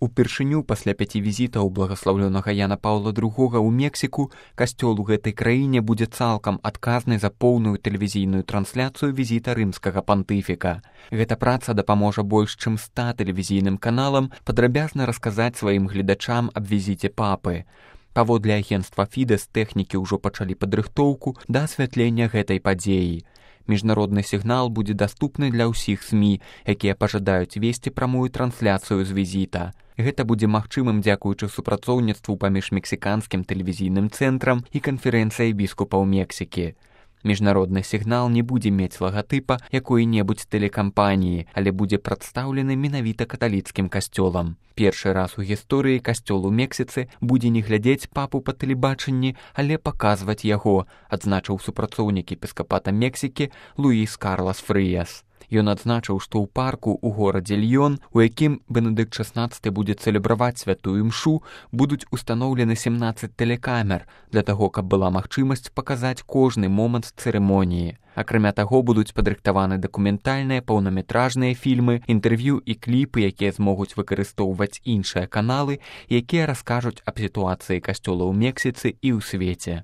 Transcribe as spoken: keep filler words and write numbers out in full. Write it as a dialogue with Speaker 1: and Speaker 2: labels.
Speaker 1: Упершыню пасля пяці візітаў благаслаўлёнага Яна Паўла другога ў Мексіку касцёл у гэтай краіне будзе цалкам адказны за поўную тэлевізійную трансляцыю візіта рымскага пантыфіка. Гэта праца дапаможа больш чым ста тэлевізійным каналам падрабязна расказаць сваім гледачам аб візіце папы. Паводле агенцтва Фідэс тэхнікі ўжо пачалі падрыхтоўку да асвятлення гэтай падзеі. Міжнародны сігнал будзе даступны для ўсіх СМІ, якія пажадаюць весці прамую трансляцыю з візіта. Гэта будзе магчымым дзякуючы супрацоўніцтву паміж мексіканскім тэлевізійным цэнтрам і канферэнцыяй біскупаў Мексікі. Міжнародны сігнал не будзе мець лагатыпа якой-небудзь тэлекампаніі, але будзе прадстаўлены менавіта каталіцкім касцёлам. Першы раз у гісторыі касцёл у Мексіцы будзе не глядзець папу па тэлебачанні, але паказваць яго, адзначыў супрацоўнік епіскапата Мексікі Луіс Карлас Фрыяс. Ён адзначыў, што ў парку ў горадзе Льён, у якім Бенедыкт шаснаццаты будзе цэлебраваць святую імшу, будуць устаноўлены сямнаццаць тэлекамер для таго, каб была магчымасць паказаць кожны момант цырымоніі. Акрамя таго, будуць падрыхтаваны дакументальныя паўнаметражныя фільмы, інтэрв'ю і кліпы, якія змогуць выкарыстоўваць іншыя каналы, якія раскажуць аб сітуацыі касцёла ў Мексіцы і ў свеце.